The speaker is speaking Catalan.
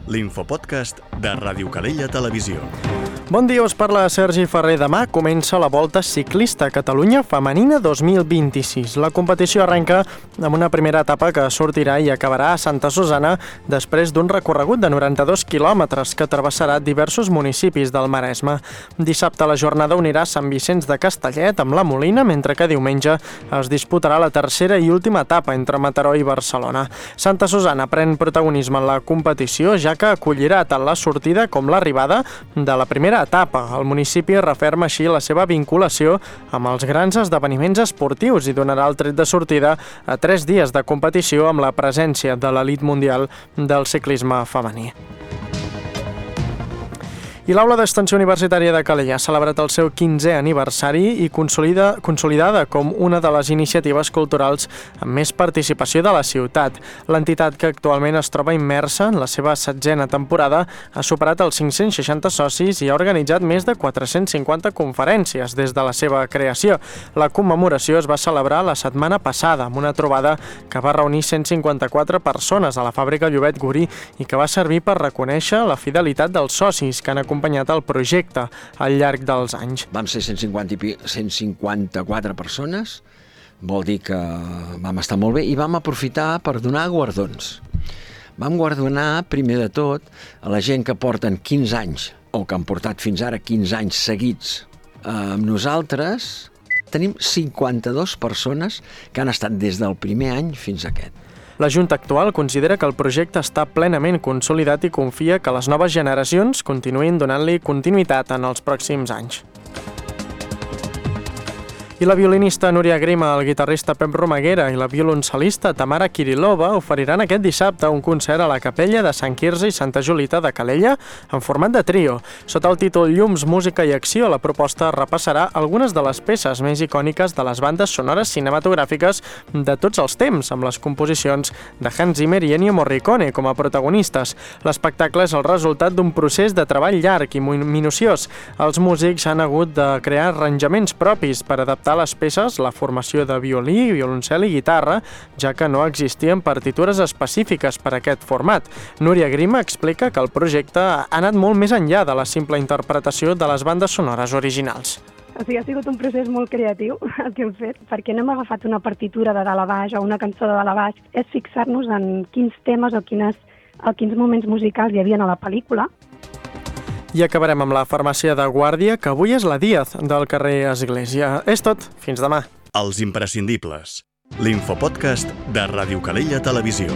l'infopodcast de Ràdio Calella Televisió. Bon dia, us parla Sergi Ferrer. Demà comença la Volta Ciclista Catalunya Femenina 2026. La competició arrenca amb una primera etapa que sortirà i acabarà a Santa Susanna després d'un recorregut de 92 quilòmetres que travessarà diversos municipis del Maresme. Dissabte la jornada unirà Sant Vicenç de Castellet amb la Molina, mentre que diumenge es disputarà la tercera i última etapa entre Mataró i Barcelona. Santa Susanna pren protagonisme en la competició, ja que acollirà tant la sortida com l'arribada de la primera etapa. El municipi referma així la seva vinculació amb els grans esdeveniments esportius i donarà el tret de sortida a 3 dies de competició amb la presència de l'elit mundial del ciclisme femení. I l'Aula d'Extensió Universitària de Calella ha celebrat el seu 15è aniversari i consolidada com una de les iniciatives culturals amb més participació de la ciutat. L'entitat, que actualment es troba immersa en la seva 7a temporada, ha superat els 560 socis i ha organitzat més de 450 conferències des de la seva creació. La commemoració es va celebrar la setmana passada amb una trobada que va reunir 154 persones a la fàbrica Llobet Gurí i que va servir per reconèixer la fidelitat dels socis que han acompanyat el projecte al llarg dels anys. Vam ser 154 persones, vol dir que vam estar molt bé i vam aprofitar per donar guardons. Vam guardonar, primer de tot, a la gent que porten 15 anys, o que han portat fins ara 15 anys seguits amb nosaltres. Tenim 52 persones que han estat des del primer any fins a aquest. La Junta actual considera que el projecte està plenament consolidat i confia que les noves generacions continuïn donant-li continuïtat en els pròxims anys. I la violinista Núria Grima, el guitarrista Pep Romaguera i la violoncel·lista Tamara Kirilova oferiran aquest dissabte un concert a la capella de Sant Quirze i Santa Julita de Calella en format de trio. Sota el títol Llums, música i acció, la proposta repassarà algunes de les peces més icòniques de les bandes sonores cinematogràfiques de tots els temps, amb les composicions de Hans Zimmer i Ennio Morricone com a protagonistes. L'espectacle és el resultat d'un procés de treball llarg i minuciós. Els músics han hagut de crear arranjaments propis per adaptar les peces, la formació de violí, violoncel i guitarra, ja que no existien partitures específiques per a aquest format. Núria Grima explica que el projecte ha anat molt més enllà de la simple interpretació de les bandes sonores originals. O sigui, ha sigut un procés molt creatiu el que hem fet, perquè no hem agafat una partitura de dalt a baix o una cançó de dalt a baix, és fixar-nos en quins temes o quins moments musicals hi havia a la pel·lícula. I acabarem amb la farmàcia de Guàrdia, que avui és la Díaz del carrer Església. És tot. Fins demà. Els imprescindibles. L'infopodcast de Ràdio Calella Televisió.